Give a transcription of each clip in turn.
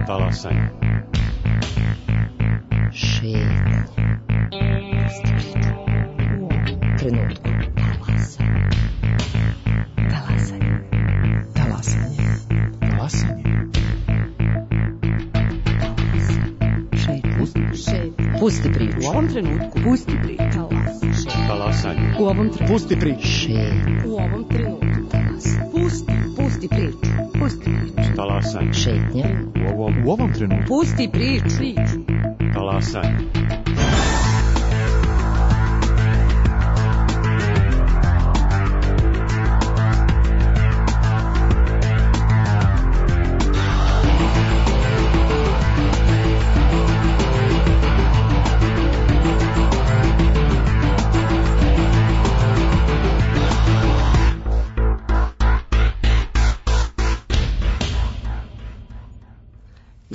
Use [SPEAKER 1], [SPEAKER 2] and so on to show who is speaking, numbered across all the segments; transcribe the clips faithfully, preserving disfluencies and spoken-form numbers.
[SPEAKER 1] Talasanje.
[SPEAKER 2] Šetnja. Pusti priču. U ovom trenutku. Talasanje. Talasanje. Talasanje. Šetnja. Pusti priču. U ovom trenutku. Pusti priču.
[SPEAKER 1] Talasanje.
[SPEAKER 2] U ovom trenutku.
[SPEAKER 1] Pusti priču.
[SPEAKER 2] Šetnja. U ovom trenutku. Talasanje. Pusti. Pusti priču. Pusti priču.
[SPEAKER 1] Talasanje.
[SPEAKER 2] Šetnja.
[SPEAKER 1] U ovom, u ovom trenutku.
[SPEAKER 2] Pusti priču.
[SPEAKER 1] Talasanje.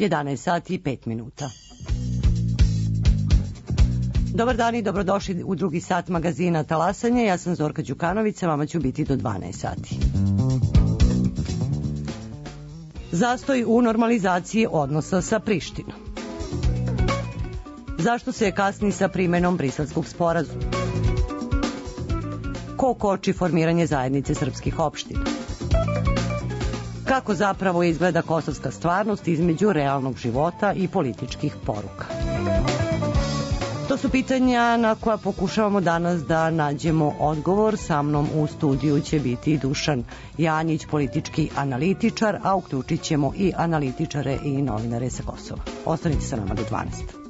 [SPEAKER 3] jedanaest sati i pet minuta. Dobar dan i dobrodošli u drugi sat magazina Talasanje. Ja sam Zorka Đukanović, vama ću biti do dvanaest sati. Zastoj u normalizaciji odnosa sa Prištinom. Zašto se kasni sa primenom Briselskog sporazuma? Ko koči formiranje zajednice srpskih opština? Kako zapravo izgleda kosovska stvarnost između realnog života i političkih poruka? To su pitanja na koja pokušavamo danas da nađemo odgovor. Sa mnom u studiju će biti Dušan Janjić, politički analitičar, a uključit ćemo i analitičare i novinare sa Kosova. Ostanite sa nama do dvanaest.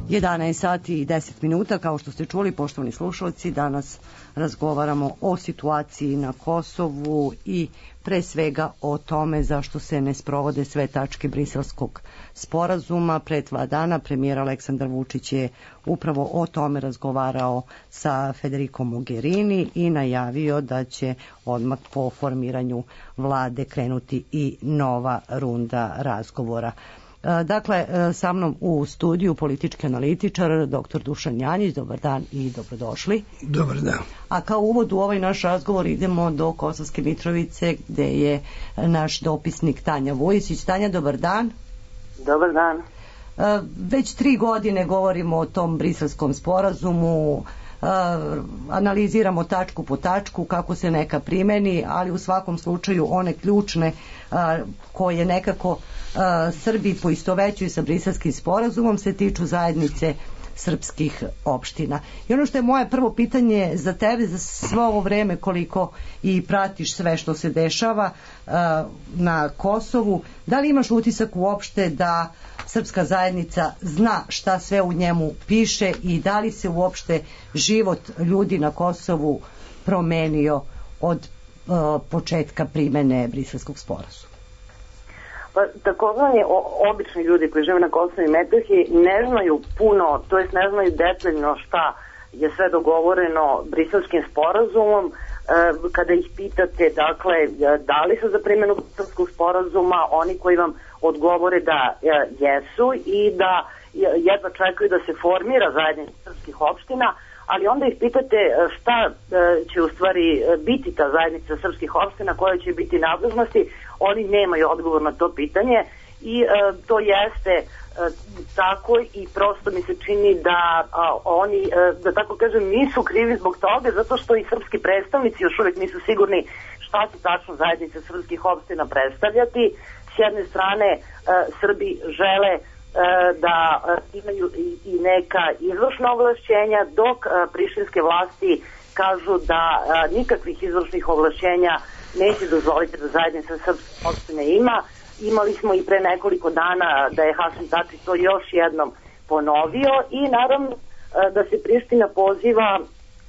[SPEAKER 3] jedanaest sati i deset minuta, kao što ste čuli, poštovani slušalci, danas razgovaramo o situaciji na Kosovu i pre svega o tome zašto se ne sprovode sve tačke Briselskog sporazuma. Pre dva dana premijer Aleksandar Vučić je upravo o tome razgovarao sa Federico Mogherini i najavio da će odmah po formiranju vlade krenuti i nova runda razgovora. Dakle, sa mnom u studiju politički analitičar doktor Dušan Janjić. Dobar dan i dobrodošli.
[SPEAKER 4] Dobar dan.
[SPEAKER 3] A kao uvod u ovaj naš razgovor idemo do Kosovske Mitrovice gde je naš dopisnik Tanja Vujisić. Tanja, dobar dan.
[SPEAKER 5] Dobar dan.
[SPEAKER 3] Već tri godine govorimo o tom Briselskom sporazumu, analiziramo tačku po tačku kako se neka primeni, ali u svakom slučaju one ključne koje nekako Srbi poistovećuju sa Briselskim sporazumom se tiču zajednice srpskih opština. I ono što je moje prvo pitanje za tebe, za svo ovo vreme koliko i pratiš sve što se dešava na Kosovu, da li imaš utisak uopšte da srpska zajednica zna šta sve u njemu piše i da li se uopšte život ljudi na Kosovu promenio od uh, početka primene Briselskog sporazuma?
[SPEAKER 5] Pa, takozvani obični ljudi koji žive na Kosovu i Metohiji ne znaju puno, to jest ne znaju detaljno šta je sve dogovoreno Briselskim sporazumom. Kada ih pitate, dakle, da li su za primjenu Briselskog sporazuma, oni koji vam odgovore da jesu i da jedva čekaju da se formira zajednica srpskih opština, ali onda ih pitate šta će u stvari biti ta zajednica srpskih opština, koje će biti nadležnosti, oni nemaju odgovor na to pitanje i to jeste tako i prosto mi se čini da a, oni, da tako kažem, nisu krivi zbog toga, zato što i srpski predstavnici još uvijek nisu sigurni šta će tačno zajednica srpskih opština predstavljati. S jedne strane Srbi žele da imaju i neka izvršna ovlašćenja, dok prištinske vlasti kažu da nikakvih izvršnih ovlašćenja neće dozvoliti da zajednica srpskih opština ima. Imali smo i pre nekoliko dana da je Hašim Tači to još jednom ponovio i naravno da se Priština poziva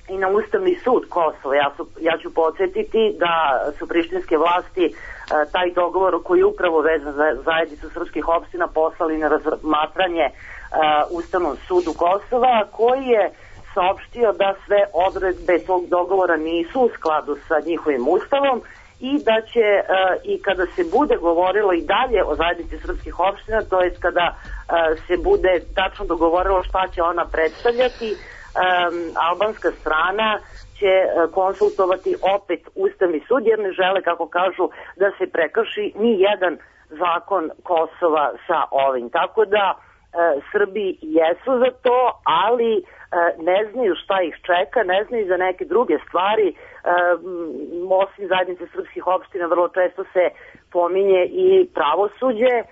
[SPEAKER 5] i na Ustavni sud Kosova. Ja, su, ja ću podsjetiti da su prištinske vlasti taj dogovor koji je upravo vezan za zajednicu srpskih opština poslali na razmatranje Ustavnom sudu Kosova, koji je saopštio da sve odredbe tog dogovora nisu u skladu sa njihovim ustavom i da će uh, i kada se bude govorilo i dalje o zajednici srpskih opština, to jest kada uh, se bude tačno dogovorilo šta će ona predstavljati, um, albanska strana će uh, konsultovati opet Ustavni sud, jer ne žele, kako kažu, da se prekrši ni jedan zakon Kosova sa ovim. Tako da uh, Srbi jesu za to, ali ne znaju šta ih čeka, ne znaju za neke druge stvari. E, osim zajednice srpskih opština vrlo često se pominje i pravosuđe. E,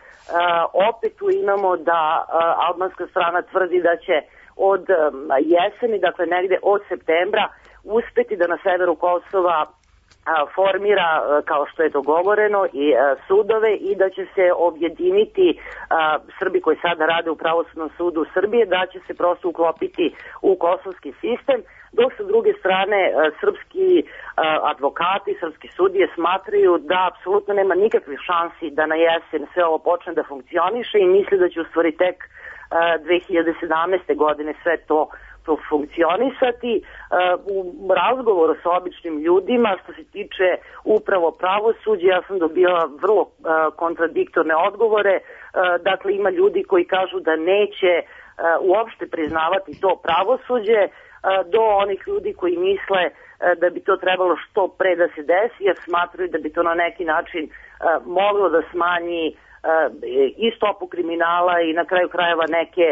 [SPEAKER 5] opet tu imamo da e, albanska strana tvrdi da će od e, jeseni, dakle negde od septembra, uspeti da na severu Kosova formira, kao što je dogovoreno, i sudove i da će se objediniti Srbi koji sada rade u pravosudnom sudu Srbije, da će se prosto uklopiti u kosovski sistem, dok sa druge strane srpski advokati, srpski sudije smatraju da apsolutno nema nikakvih šansi da na jesen sve ovo počne da funkcioniše i misli da će u stvari tek dve hiljade sedamnaeste. godine sve to funkcionisati. U razgovoru sa običnim ljudima što se tiče upravo pravosuđa, ja sam dobila vrlo kontradiktorne odgovore. Dakle, ima ljudi koji kažu da neće uopšte priznavati to pravosuđe, do onih ljudi koji misle da bi to trebalo što pre da se desi, jer smatruju da bi to na neki način moglo da smanji i stopu kriminala i na kraju krajeva neke,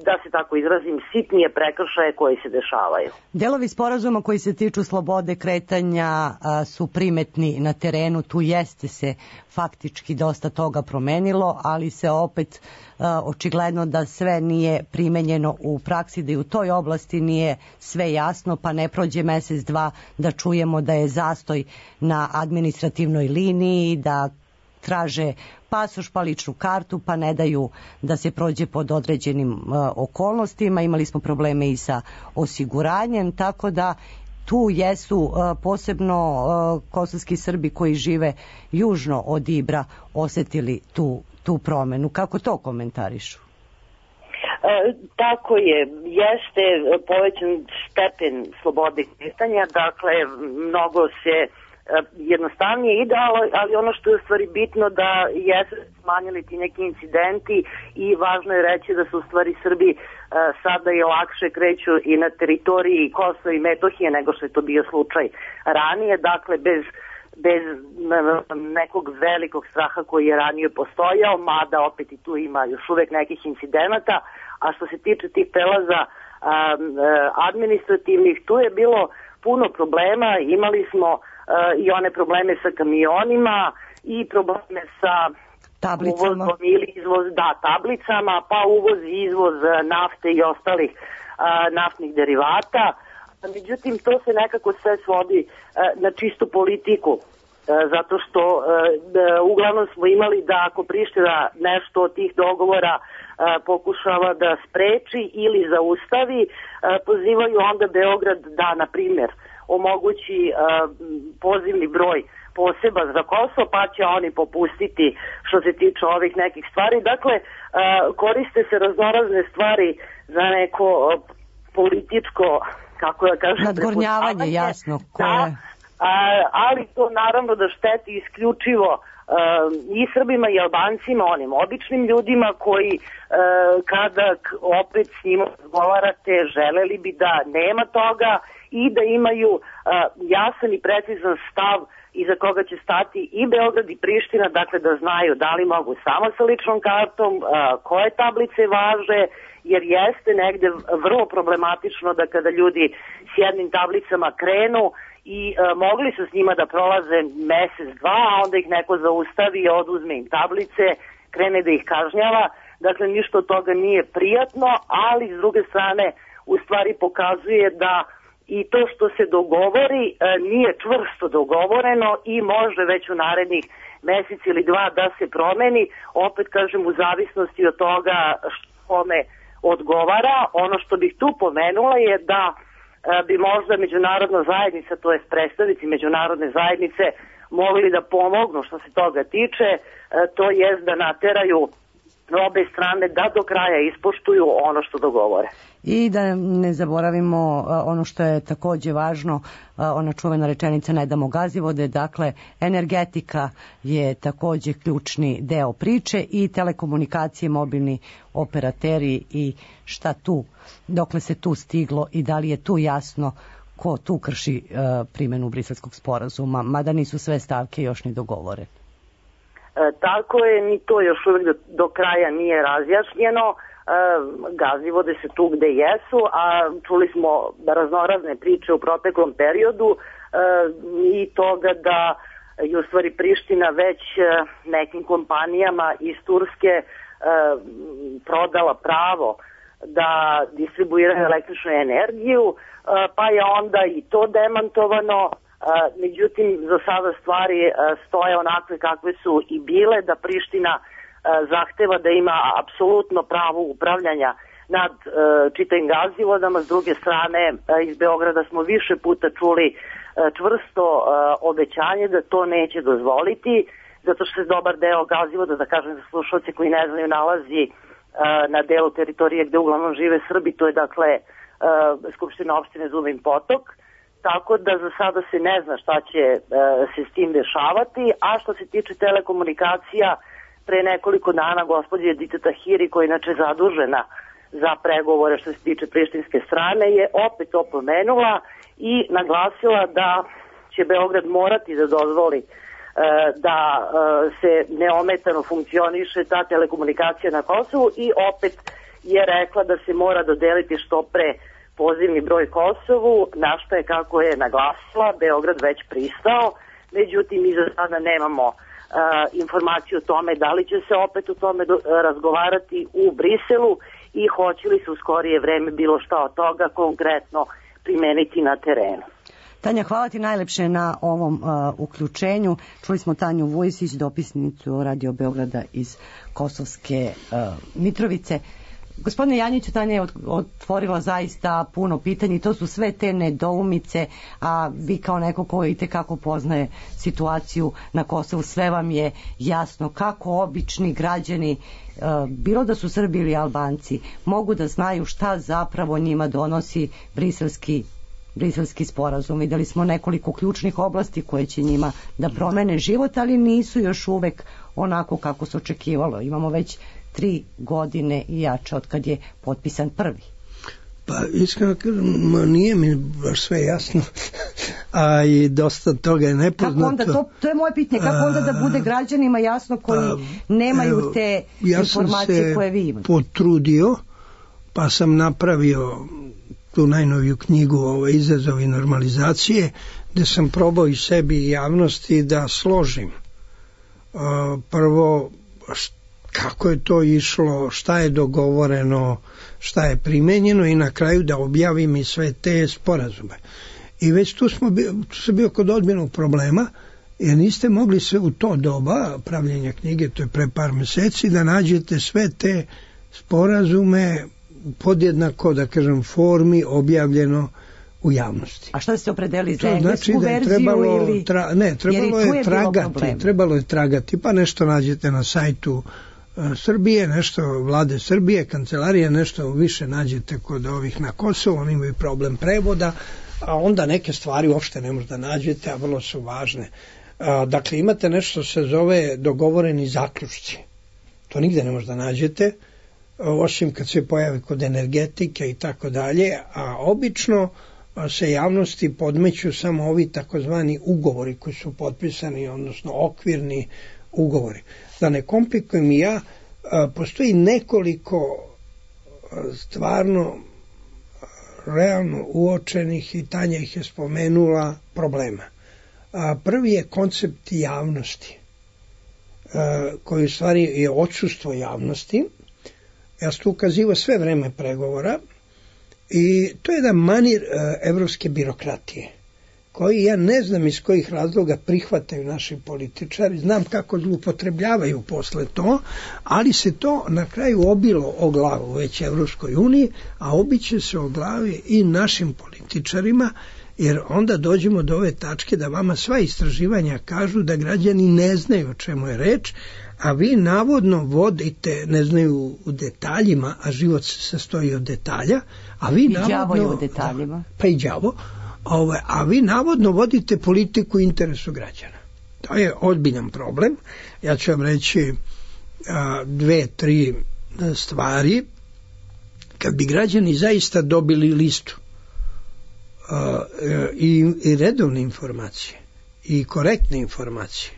[SPEAKER 5] da se tako izrazim, sitnije prekršaje koji se dešavaju.
[SPEAKER 3] Delovi sporazuma koji se tiču slobode kretanja su primetni na terenu, tu jeste se faktički dosta toga promenilo, ali se opet očigledno da sve nije primenjeno u praksi, da i u toj oblasti nije sve jasno, pa ne prođe mesec, dva da čujemo da je zastoj na administrativnoj liniji, da traže pasoš pa ličnu kartu, pa ne daju da se prođe pod određenim uh, okolnostima. Imali smo probleme i sa osiguranjem, tako da tu jesu uh, posebno uh, kosovski Srbi koji žive južno od Ibra osetili tu, tu promenu. Kako to komentarišu?
[SPEAKER 5] E, tako je, jeste povećan stepen slobode kretanja, dakle mnogo se e, jednostavnije ide, ali ono što je u stvari bitno da jesu smanjili ti neki incidenti i važno je reći da su u stvari Srbi e, sada i lakše kreću i na teritoriji Kosova i Metohije nego što je to bio slučaj ranije, dakle bez bez nekog velikog straha koji je ranije postojao, mada opet i tu ima još uvek nekih incidenata, a što se tiče tih prelaza administrativnih, tu je bilo puno problema, imali smo i one probleme sa kamionima i probleme sa
[SPEAKER 3] tablicama.
[SPEAKER 5] Uvozom ili izvoz, da, tablicama, pa uvoz i izvoz nafte i ostalih naftnih derivata. Međutim, to se nekako sve svodi e, na čistu politiku, e, zato što e, uglavnom smo imali da ako Priština nešto od tih dogovora e, pokušava da spreči ili zaustavi, e, pozivaju onda Beograd da, na primjer, omogući e, pozivni broj poseban za Kosovo, pa će oni popustiti što se tiče ovih nekih stvari. Dakle, e, koriste se raznorazne stvari za neko e, političko, kako da kažem,
[SPEAKER 3] nadgornjavanje, jasno, koje...
[SPEAKER 5] Da, a, ali to naravno da šteti isključivo a, i Srbima i Albancima, onim običnim ljudima koji a, kada opet s njima razgovarate, želeli bi da nema toga i da imaju a, jasan i precizan stav iza koga će stati i Beograd i Priština, dakle da znaju da li mogu samo sa ličnom kartom, a, koje tablice važe, jer jeste negde vrlo problematično da kada ljudi s jednim tablicama krenu i e, mogli su s njima da prolaze mesec, dva, a onda ih neko zaustavi i oduzme im tablice, krene da ih kažnjava. Dakle, ništa od toga nije prijatno, ali s druge strane u stvari pokazuje da i to što se dogovori e, nije čvrsto dogovoreno i može već u narednih mesec ili dva da se promeni, opet kažem u zavisnosti od toga kome odgovara. Ono što bih tu pomenula je da e, bi možda međunarodna zajednica, to jest predstavnici međunarodne zajednice, mogli da pomognu što se toga tiče, e, to jest da nateraju obe strane da do kraja ispoštuju ono što dogovore.
[SPEAKER 3] I da ne zaboravimo ono što je takođe važno, ona čuvena rečenica ne damo Gazivode, dakle energetika je takođe ključni deo priče i telekomunikacije, mobilni operateri i šta tu, dokle se tu stiglo i da li je tu jasno ko tu krši uh, primjenu Briselskog sporazuma, mada nisu sve stavke još ni dogovore.
[SPEAKER 5] E, tako je, ni to još uvijek do, do kraja nije razjašnjeno. E, Gazivode se tu gde jesu, a čuli smo raznorazne priče u proteklom periodu e, i toga da je u stvari Priština već nekim kompanijama iz Turske e, prodala pravo da distribuiraju električnu energiju, e, pa je onda i to demantovano. Uh, međutim, za sada stvari uh, stoje onakve kakve su i bile, da Priština uh, zahteva da ima apsolutno pravo upravljanja nad uh, čitavim Gazivodama. S druge strane, uh, iz Beograda smo više puta čuli uh, čvrsto uh, obećanje da to neće dozvoliti, zato što se dobar deo Gazivoda, da kažem za slušalce koji ne znaju, nalazi uh, na delu teritorije gde uglavnom žive Srbi, to je dakle uh, Skupština opštine Zubin Potok. Tako da za sada se ne zna šta će e, se s tim dešavati, a što se tiče telekomunikacija, pre nekoliko dana gospođa Edita Tahiri, koja je inače zadužena za pregovore što se tiče prištinske strane, je opet opomenula i naglasila da će Beograd morati da dozvoli e, da e, se neometano funkcioniše ta telekomunikacija na Kosovu i opet je rekla da se mora dodeliti što pre pozivni broj Kosovu, na što je, kako je naglasila, Beograd već pristao. Međutim, mi za sada nemamo uh, informaciju o tome da li će se opet o tome do, razgovarati u Briselu i hoće li se u skorije vreme bilo šta od toga konkretno primeniti na terenu.
[SPEAKER 3] Tanja, hvala ti najlepše na ovom uh, uključenju. Čuli smo Tanju Vujisić, dopisnicu Radio Beograda iz Kosovske uh, Mitrovice. Gospodine Janjiću, Tanja je otvorila zaista puno pitanja i to su sve te nedoumice, a vi kao neko ko itekako poznaje situaciju na Kosovu, sve vam je jasno kako obični građani, bilo da su Srbi ili Albanci, mogu da znaju šta zapravo njima donosi briselski briselski sporazum. Videli smo nekoliko ključnih oblasti koje će njima da promene život, ali nisu još uvek onako kako se očekivalo. Imamo već tri godine i jače od kad je potpisan prvi.
[SPEAKER 4] Pa iskreno kažem, nije mi baš sve jasno, a i dosta toga je nepoznato. Kako onda, to,
[SPEAKER 3] to je moje pitanje, kako onda da bude građanima jasno koji a, nemaju evo, te
[SPEAKER 4] ja
[SPEAKER 3] informacije koje vi imate?
[SPEAKER 4] Ja sam se potrudio, pa sam napravio tu najnoviju knjigu o izazovi normalizacije, gde sam probao i sebi i javnosti da složim. Uh, prvo, kako je to išlo, šta je dogovoreno, šta je primenjeno i na kraju da objavim i sve te sporazume. I već tu smo bio, tu sam bio kod odbjenog problema, jer niste mogli sve u to doba pravljenja knjige, to je pre par meseci, da nađete sve te sporazume podjednako, da kažem, formi objavljeno u javnosti.
[SPEAKER 3] A šta ste opredeli za englesku znači verziju
[SPEAKER 4] trebalo,
[SPEAKER 3] ili...
[SPEAKER 4] Tra, ne, trebalo je, je tragati, trebalo je tragati, pa nešto nađete na sajtu uh, Srbije, nešto vlade Srbije, kancelarije, nešto više nađete kod ovih na Kosovu, oni imaju problem prevoda, a onda neke stvari uopšte ne možda nađete, a vrlo su važne. Uh, dakle, imate nešto se zove dogovoreni zaključci. To nigde ne možda nađete, osim kad se pojavi kod energetike i tako dalje, a obično se javnosti podmeću samo ovi takozvani ugovori koji su potpisani, odnosno okvirni ugovori. Da ne komplikujem i ja, postoji nekoliko stvarno realno uočenih, i Tanja ih je spomenula, problema. Prvi je koncept javnosti, koji u stvari je odsustvo javnosti. Ja sam tu ukazivao sve vreme pregovora i to je jedan manir uh, evropske birokratije koji ja ne znam iz kojih razloga prihvataju naši političari, znam kako zloupotrebljavaju posle to, ali se to na kraju obilo o glavu već Evropskoj uniji, a obiće se o glavi i našim političarima, jer onda dođemo do ove tačke da vama sva istraživanja kažu da građani ne znaju o čemu je reč, a vi navodno vodite, ne znaju u detaljima, a život se sastoji od detalja, a vi
[SPEAKER 3] I
[SPEAKER 4] navodno...
[SPEAKER 3] đavo je u detaljima.
[SPEAKER 4] Pa i đavo. Ove, a vi navodno vodite politiku interesu građana. To je ozbiljan problem. Ja ću vam reći a, dve, tri stvari. Kad bi građani zaista dobili listu a, i, i redovne informacije i korektne informacije,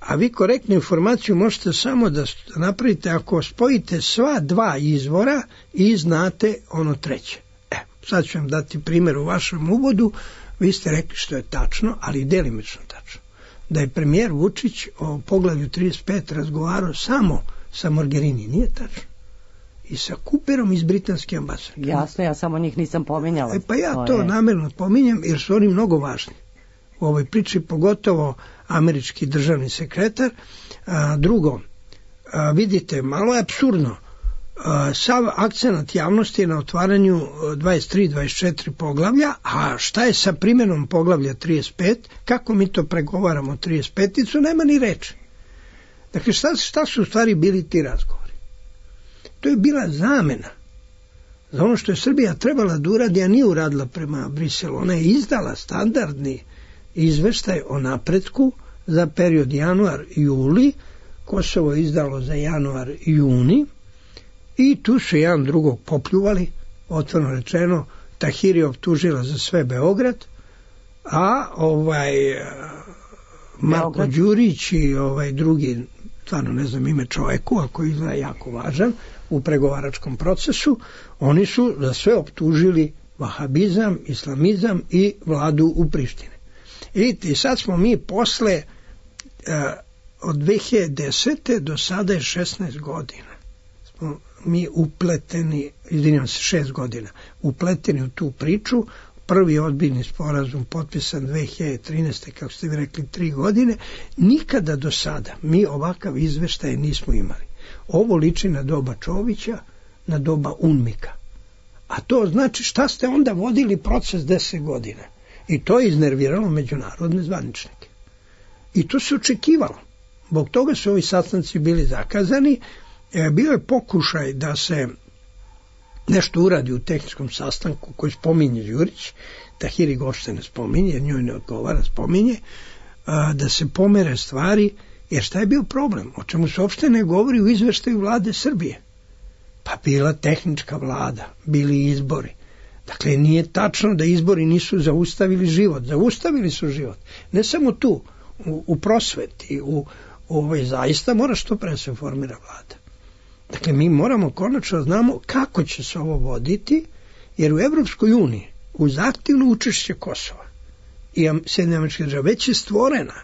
[SPEAKER 4] a vi korektnu informaciju možete samo da napravite ako spojite sva dva izvora i znate ono treće. E, sad ću vam dati primjer u vašem uvodu. Vi ste rekli što je tačno, ali delimično tačno. Da je premijer Vučić o poglavlju trideset pet razgovarao samo sa Mogherini, nije tačno. I sa Cooperom iz britanske ambasade.
[SPEAKER 3] Jasno, ja samo njih nisam pominjala.
[SPEAKER 4] E, pa ja to, to je... namerno pominjem jer su oni mnogo važni u ovoj priči, pogotovo američki državni sekretar. A, drugo, a, vidite, malo je apsurdno. A, sav akcenat javnosti je na otvaranju dvadeset tri dvadeset četiri poglavlja, a šta je sa primjenom poglavlja trideset pet? Kako mi to pregovaramo trideset peticu? Nema ni reči. Dakle, šta, šta su u stvari bili ti razgovori? To je bila zamena za ono što je Srbija trebala da uradi, a nije uradila prema Briselu. Ona je izdala standardni izveštaj o napretku za period januar-juli, Kosovo je izdalo za januar-juni i tu su jedan drugog popljuvali, otvoreno rečeno, Tahiri optužila za sve Beograd, a ovaj Marko Đurić i ovaj drugi, stvarno ne znam ime čoveku, a koji je jako važan u pregovaračkom procesu, oni su za sve optužili vahabizam, islamizam i vladu u Prištini. Vidite, i sad smo mi posle uh, od dve hiljade desete do sada je šesnaest godina. Smo mi upleteni, izvinjam se, šest godina, upleteni u tu priču prvi ozbiljni sporazum potpisan dve hiljade trinaeste. kako ste vi rekli, tri godine, nikada do sada mi ovakav izveštaj nismo imali. Ovo liči na doba Čovića, na doba Unmika. A to znači šta ste onda vodili proces deset godina. I to je iznerviralo međunarodne zvaničnike. I to se očekivalo. Zbog toga su ovi sastanci bili zakazani. E, bio je pokušaj da se nešto uradi u tehničkom sastanku koji spominje Đurić, Tahiri Gošte ne spominje, jer njoj ne odgovara, spominje, a, da se pomere stvari, jer šta je bio problem? O čemu se uopšte ne govori u izveštaju vlade Srbije? Pa bila tehnička vlada, bili izbori. Dakle, nije tačno da izbori nisu zaustavili život. Zaustavili su život. Ne samo tu, u, u prosveti, u ovaj, zaista mora što pre se formira vlada. Dakle, mi moramo konačno znamo kako će se ovo voditi, jer u Evropskoj uniji uz aktivno učešće Kosova i Sjedinjenih Američkih Država već je stvorena.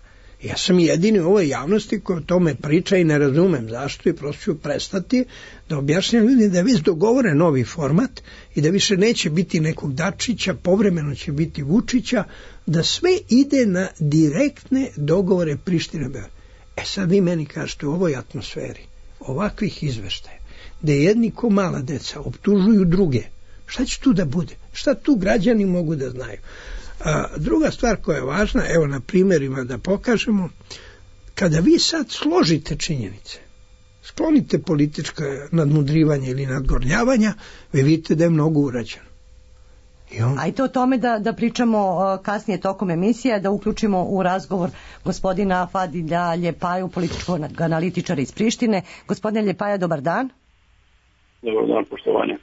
[SPEAKER 4] Ja sam jedini u ovoj javnosti koji o tome priča i ne razumem zašto i prosto ću prestati da objašnjam ljudi da je već dogovore novi format i da više neće biti nekog Dačića, povremeno će biti Vučića, da sve ide na direktne dogovore Prištine. E sad vi meni kažete u ovoj atmosferi ovakvih izveštaja, da jedni ko mala deca optužuju druge, šta će tu da bude? Šta tu građani mogu da znaju? A, druga stvar koja je važna, evo na primjerima da pokažemo, kada vi sad složite činjenice, sklonite političko nadmudrivanje ili nadgornjavanja, vi vidite da je mnogo urađeno. On... Ajde
[SPEAKER 3] o tome da, da pričamo kasnije tokom emisije, da uključimo u razgovor gospodina Fadilja Ljepaju, političkog analitičara iz Prištine. Gospodine Ljepaja, dobar dan.
[SPEAKER 6] Dobar dan, poštovanje.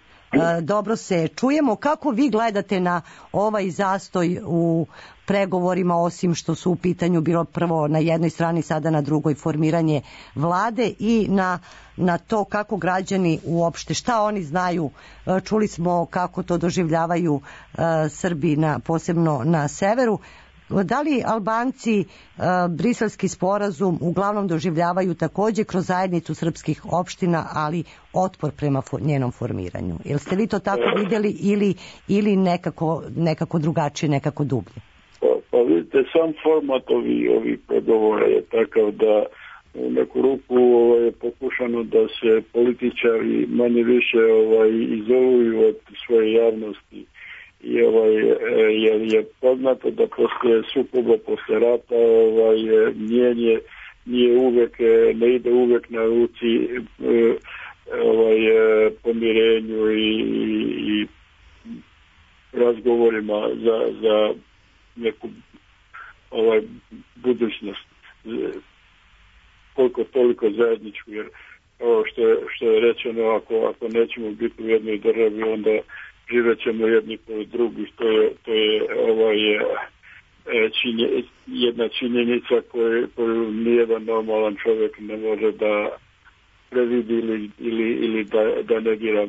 [SPEAKER 3] Dobro se čujemo. Kako vi gledate na ovaj zastoj u pregovorima, osim što su u pitanju bilo prvo na jednoj strani, sada na drugoj formiranje vlade, i na, na to kako građani uopšte, šta oni znaju? Čuli smo kako to doživljavaju uh, Srbi, na, posebno na severu. Da li Albanci uh, briselski sporazum uglavnom doživljavaju takođe kroz zajednicu srpskih opština, ali otpor prema for, njenom formiranju? Jel ste vi to tako vidjeli ili, ili nekako, nekako drugačije, nekako dublje?
[SPEAKER 6] Pa, pa vidite, sam format ovih ovi pregovora je takav da u neku ruku ovaj, je pokušano da se političari manje više ovaj, izoluju od svoje javnosti. I ovaj, jer je poznato da poslije sukoba, poslije rata, ovaj, mijenje nije uvek, ne ide uvek na ruci ovaj, pomirenju i, i razgovorima za, za neku ovaj, budućnost koliko toliko zajedničku, jer ovo što je, što je rečeno, ako, ako nećemo biti u jednoj državi, onda živet ćemo jedni po drugi, to je, to je ovaj, činje, jedna činjenica koju, koju nijedan normalan čovjek ne može da previdi ili, ili, ili da, da negira.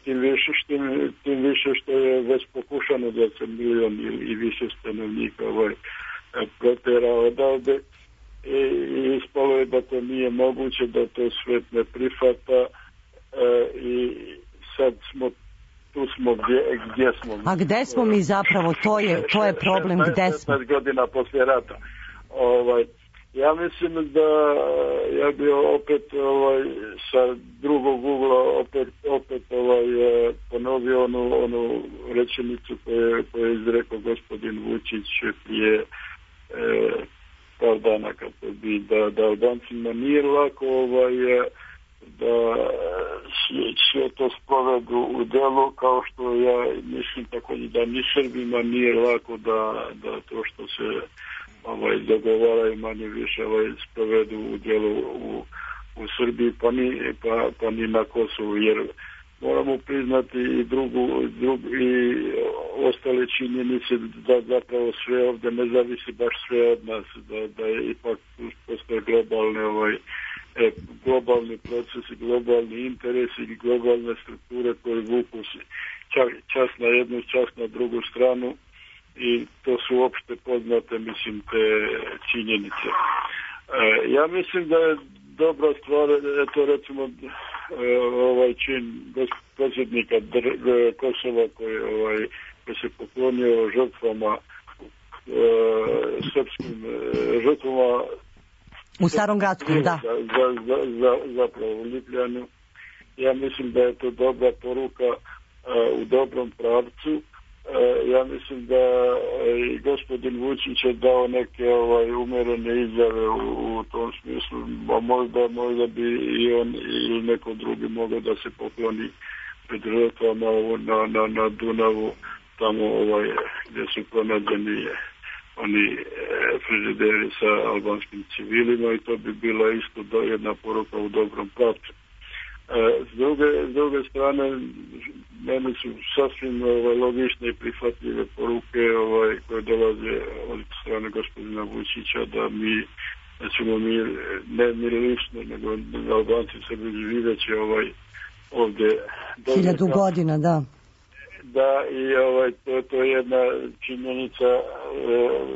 [SPEAKER 6] Tim više, tim, tim više što je već pokušano da se milion ili i više stanovnika ovaj, protera odavde i, i ispalo je da to nije moguće, da to svet ne prihvata i sad smo tu smo gdje, gdje smo.
[SPEAKER 3] A gde smo mi zapravo? To je, to je problem, gde smo?
[SPEAKER 6] šesnaest godina poslije rata. Ovaj, ja mislim da ja bi opet ovaj, sa drugog ugla opet, opet ovaj, ponovio onu, onu rečenicu koju, koju je izrekao gospodin Vučić prije e, par dana, kako bi da, da Albancima nije lako ovaj, da sve to sprovedu u delu, kao što ja mislim tako da ni Srbima nije lako da, da to što se ovaj, dogovaraju manje više ovaj, sprovedu u delu u, u Srbiji, pa ni, pa, pa ni na Kosovu, jer moramo priznati i drugu, drugu i ostale činjenice da zapravo sve ovdje ne zavisi baš sve od nas, da, da je ipak postoje globalne ovaj, globalni procesi, globalni interesi i globalne strukture koje vuku čas na jednu, čas na drugu stranu, i to su opšte poznate, mislim, te činjenice. E, ja mislim da je dobra stvar, eto recimo ovaj čin predsjednika Kosova koji ovaj, koji se poklonio žrtvama e, srpskim e, žrtvama
[SPEAKER 3] u Starom Grackom, da.
[SPEAKER 6] Za, za, za, za, zapravo u Ljubljanu. Ja mislim da je to dobra poruka uh, u dobrom pravcu. Uh, ja mislim da i gospodin Vučić je dao neke ovaj, umerene izjave u, u tom smislu. A možda, možda bi i on ili neko drugi mogao da se pokloni pred žrtvama na, na, na Dunavu, tamo ovaj, gdje su pronađeni oni e, frižideri sa albanskim civilima, i to bi bila isto do, jedna poruka u dobrom pravcu. E, s, druge, s druge strane, meni su sasvim ovaj, logične i prihvatljive poruke ovaj, koje dolaze od strane gospodina Vučića, da mi, da ćemo mi, ne mi lično, nego Albanci Srbi živeće ovaj, ovdje
[SPEAKER 3] hiljadu godina, da.
[SPEAKER 6] Da, i ovaj, to, to je jedna činjenica e,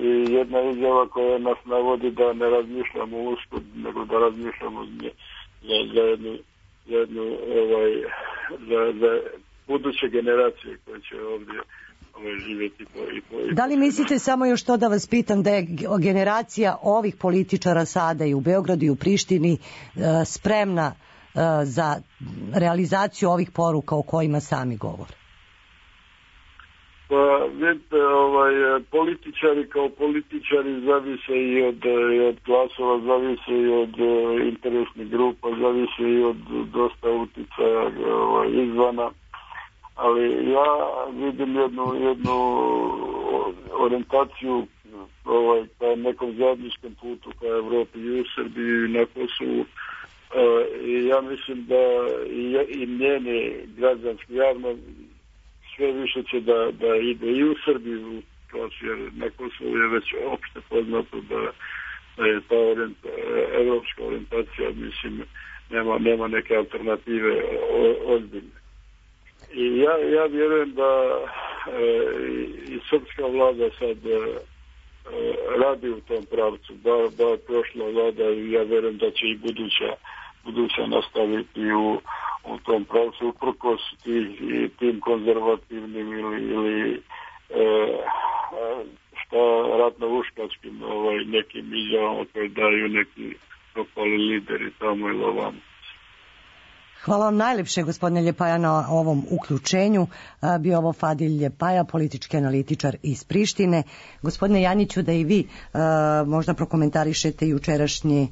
[SPEAKER 6] i jedna izjava koja nas navodi da ne razmišljamo usput, nego da razmišljamo za, za jednu, jednu ovaj, za, za buduće generacije koje će ovdje ovaj, živjeti. Po, i po, i
[SPEAKER 3] da li mislite, samo još to da vas pitam, da je generacija ovih političara sada i u Beogradu i u Prištini e, spremna e, za realizaciju ovih poruka o kojima sami govore?
[SPEAKER 6] Pa, vidite, ovaj, političari kao političari zavise i od, i od glasova, zavise i od uh, interesnih grupa, zavise i od dosta uticaja ovaj, izvana, ali ja vidim jednu, jednu orijentaciju ovaj, ka nekom zajedničkom putu ka Evropi i u Srbiji i na Kosovu. Uh, i ja mislim da i, i njeni građanski javno sve više će da, da ide i u Srbiju, jer na Kosovu je već opšte poznato da, da je ta orient, evropska orijentacija, mislim, nema, nema neke alternative o, ozbiljne. I ja, ja vjerujem da e, i srpska vlada sad e, radi u tom pravcu, da, da prošla vlada, i ja vjerujem da će i buduća, buduća nastaviti u u tom pravcu, uprkos i tim konzervativnim ili, ili e, šta ratno-uškačkim ovaj, nekim izjavama koje daju neki propali lideri tamo ili ovamo.
[SPEAKER 3] Hvala vam najlepše, gospodine Ljepaja, na ovom uključenju. Bio ovo Fadil Ljepaja, politički analitičar iz Prištine. Gospodine Janjiću, da i vi a, možda prokomentarišete jučerašnji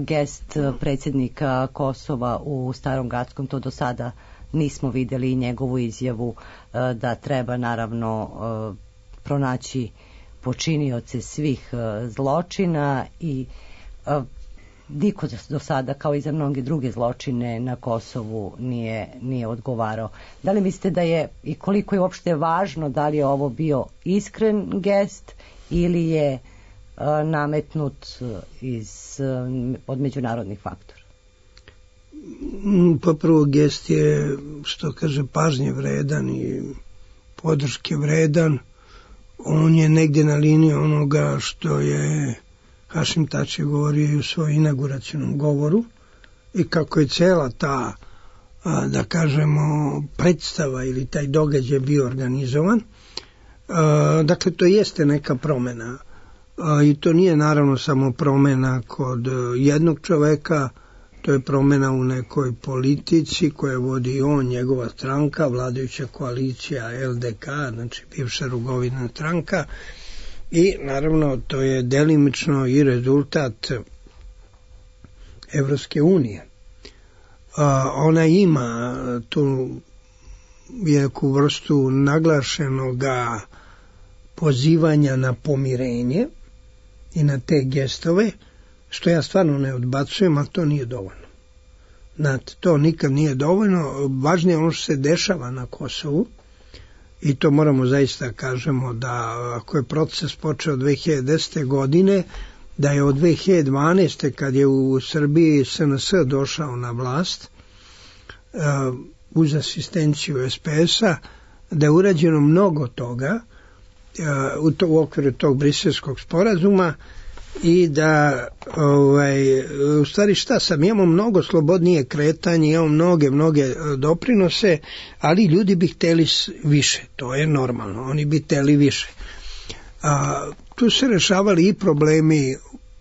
[SPEAKER 3] gest predsjednika Kosova u Starom Grackom, to do sada nismo vidjeli, i njegovu izjavu da treba naravno pronaći počinioce svih zločina, i niko do sada, kao i za mnoge druge zločine na Kosovu, nije, nije odgovarao. Da li mislite da je, i koliko je uopšte važno, da li je ovo bio iskren gest ili je nametnut iz, od međunarodnih faktora?
[SPEAKER 4] Pa prvo, gest je, što kaže, pažnje vredan i podrške vredan. On je negdje na liniji onoga što je Hašim Tači govorio i u svojom inauguracionom govoru, i kako je cela ta, da kažemo, predstava ili taj događaj bio organizovan. Dakle, to jeste neka promjena. I to nije naravno samo promjena kod jednog čoveka, to je promjena u nekoj politici koje vodi on, njegova stranka, vladajuća koalicija L D K, znači bivša Rugovina stranka, i naravno to je delimično i rezultat Evropske unije. Ona ima tu neku vrstu naglašenoga pozivanja na pomirenje i na te gestove, što ja stvarno ne odbacujem, ali to nije dovoljno. Znate, to nikad nije dovoljno. Važnije ono što se dešava na Kosovu, i to moramo zaista kažemo da ako je proces počeo dve hiljade desete. godine, da je od dve hiljade dvanaeste. kad je u Srbiji S N S došao na vlast, uh, uz asistenciju S P S-a, da je urađeno mnogo toga u, to, u okviru tog briselskog sporazuma, i da ovaj, u stvari šta sam, imamo mnogo slobodnije kretanje, imamo mnoge, mnoge doprinose, ali ljudi bi hteli više, to je normalno, oni bi hteli više. A, tu se rešavali i problemi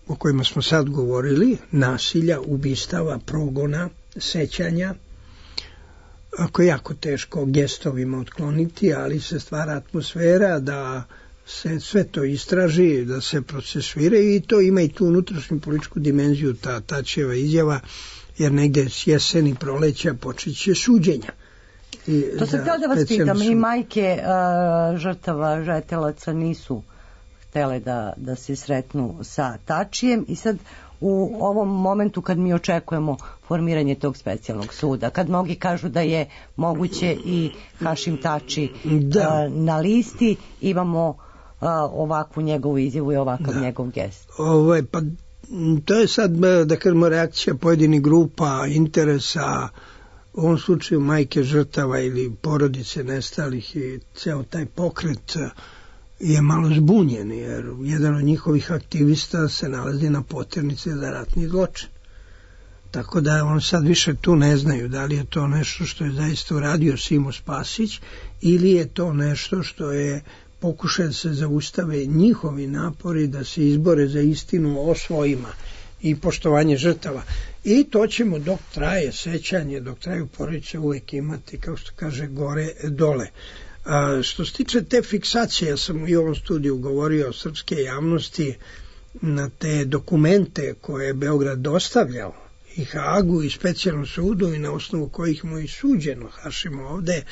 [SPEAKER 4] o kojima smo sad govorili, nasilja, ubistava, progona, sećanja, ako je jako teško gestovima otkloniti, ali se stvara atmosfera da se sve to istraži, da se procesuira i to ima i tu unutrašnju političku dimenziju, ta Tačijeva izjava, jer negde s jeseni proleća počeće suđenja. I
[SPEAKER 3] to sam htjela da vas pitam, su... i majke uh, žrtava žetelaca nisu htjele da, da se sretnu sa Tačijem i sad u ovom momentu kad mi očekujemo formiranje tog specijalnog suda, kad mnogi kažu da je moguće i Hašim Tači da. uh, na listi, imamo uh, ovakvu njegovu izjavu i ovakav da. njegov gest.
[SPEAKER 4] Ovo, pa, to je sad, da kažemo, reakcija pojedinih grupa, interesa, u ovom slučaju majke žrtava ili porodice nestalih i ceo taj pokret je malo zbunjen, jer jedan od njihovih aktivista se nalazi na poternici za ratni zločin. Tako da on sad više tu ne znaju da li je to nešto što je zaista uradio Simo Spasić ili je to nešto što je pokušaj da se zaustave njihovi napori da se izbore za istinu o svojima i poštovanje žrtava. I to ćemo dok traje sećanje, dok traju porodice uvek imati, kao što kaže, gore dole. A, što se tiče te fiksacije, ja sam i u ovom studiju govorio o srpske javnosti na te dokumente koje je Beograd dostavljao i Hagu i specijalnom sudu i na osnovu kojih mu i suđeno Hašimo ovde.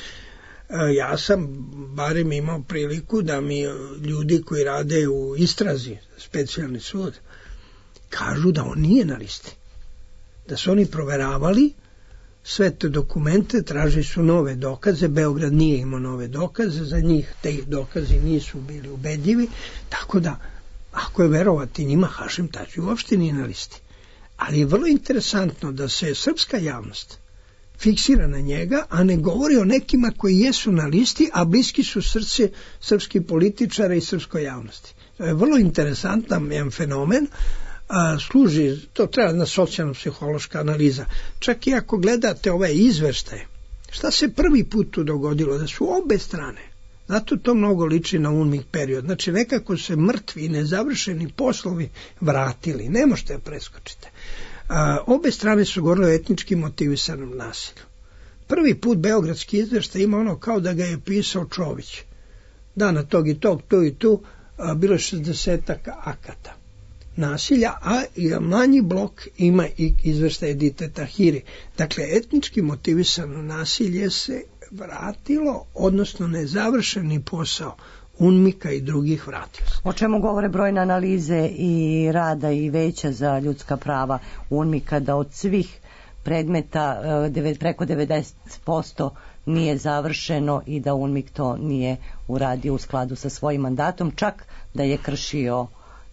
[SPEAKER 4] A, ja sam barem imao priliku da mi ljudi koji rade u istrazi, specijalni sud, kažu da on nije na listi. Da su oni proveravali sve te dokumente, tražili su nove dokaze, Beograd nije imao nove dokaze, za njih te dokazi nisu bili ubedljivi, tako da, ako je verovati njima, Hašim Tači uopšte nije na listi. Ali je vrlo interesantno da se srpska javnost fiksira na njega, a ne govori o nekima koji jesu na listi, a bliski su srce srpskih političara i srpskoj javnosti. To je vrlo interesantan jedan fenomen, a, služi, to treba jedna socijalno-psihološka analiza. Čak i ako gledate ove izveštaje, šta se prvi put tu dogodilo? Da su obe strane, zato to mnogo liči na UNMIK period, znači nekako se mrtvi i nezavršeni poslovi vratili, ne možete da preskočite. A, obe strane su govorile o etnički motivisanom nasilju. Prvi put beogradski izveštaj ima ono kao da ga je pisao Čović. Dana tog i tog, tu i tu, a, bilo je šezdesetak akata nasilja, a manji blok ima i izveštaj Edite Tahiri. Dakle, etnički motivisano nasilje se vratilo, odnosno nezavršeni posao UNMIK-a i drugih vratio se.
[SPEAKER 3] O čemu govore brojne analize i rada i veća za ljudska prava UNMIK-a, da od svih predmeta preko devedeset posto nije završeno i da UNMIK to nije uradio u skladu sa svojim mandatom, čak da je kršio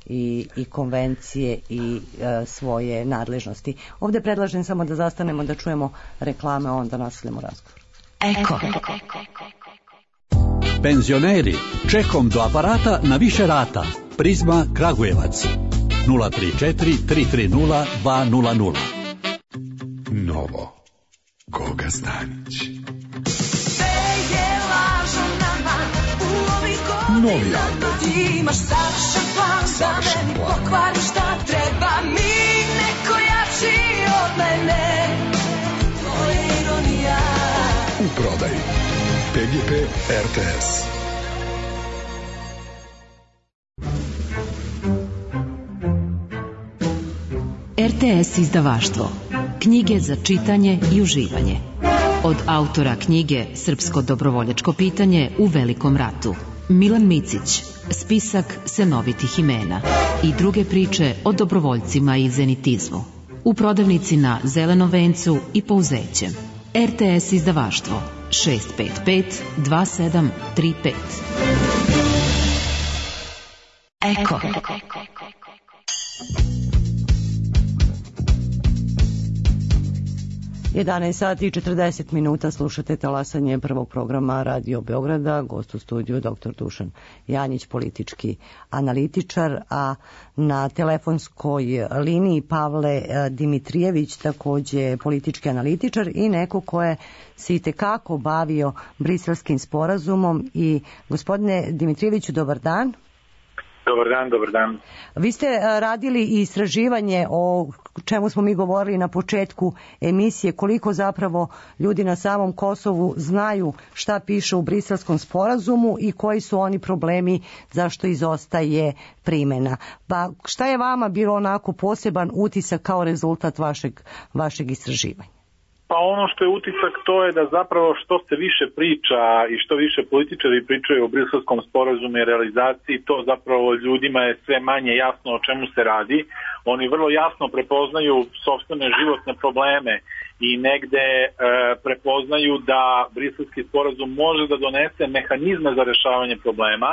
[SPEAKER 3] i, i konvencije i e, svoje nadležnosti. Ovdje predlažem samo da zastanemo da čujemo reklame, a onda nastavljamo razgovor.
[SPEAKER 7] Eko. Penzioneri, čekom do aparata na više rata. Prizma Kragujevac. nula tri četiri tri tri nula dva nula nula.
[SPEAKER 8] Novo. Goga Stanić. Novi album.
[SPEAKER 9] Imaš savršen plan, da meni pokvari šta treba mi, neko jači od mene. To je ironija.
[SPEAKER 8] U prodaji P G P R T S.
[SPEAKER 10] R T S izdavaštvo. Knjige za čitanje i uživanje. Od autora knjige Srpsko dobrovoljačko pitanje u Velikom ratu, Milan Micić, spisak senovitih imena i druge priče o dobrovoljcima i zenitizmu. U prodavnici na Zelenom vencu i Pouzećem. R T S izdavaštvo šest pet pet dva sedam tri pet. Eko.
[SPEAKER 3] jedanaest sati i četrdeset minuta, slušate talasanje prvog programa Radio Beograda, gost u studiju doktor Dušan Janjić, politički analitičar, a na telefonskoj liniji Pavle Dimitrijević, takođe politički analitičar i neko ko je se i tekako bavio Briselskim sporazumom. I gospodine Dimitrijeviću, dobar dan.
[SPEAKER 11] Dobar dan, dobar dan.
[SPEAKER 3] Vi ste radili i istraživanje o čemu smo mi govorili na početku emisije, koliko zapravo ljudi na samom Kosovu znaju šta piše u Briselskom sporazumu i koji su oni problemi zašto izostaje primena. Pa šta je vama bilo onako poseban utisak kao rezultat vašeg, vašeg istraživanja?
[SPEAKER 11] Pa ono što je utisak to je da zapravo što se više priča i što više političari pričaju o Briselskom sporazumu i realizaciji, to zapravo ljudima je sve manje jasno o čemu se radi. Oni vrlo jasno prepoznaju sopstvene životne probleme i negde e, prepoznaju da Briselski sporazum može da donese mehanizme za rešavanje problema,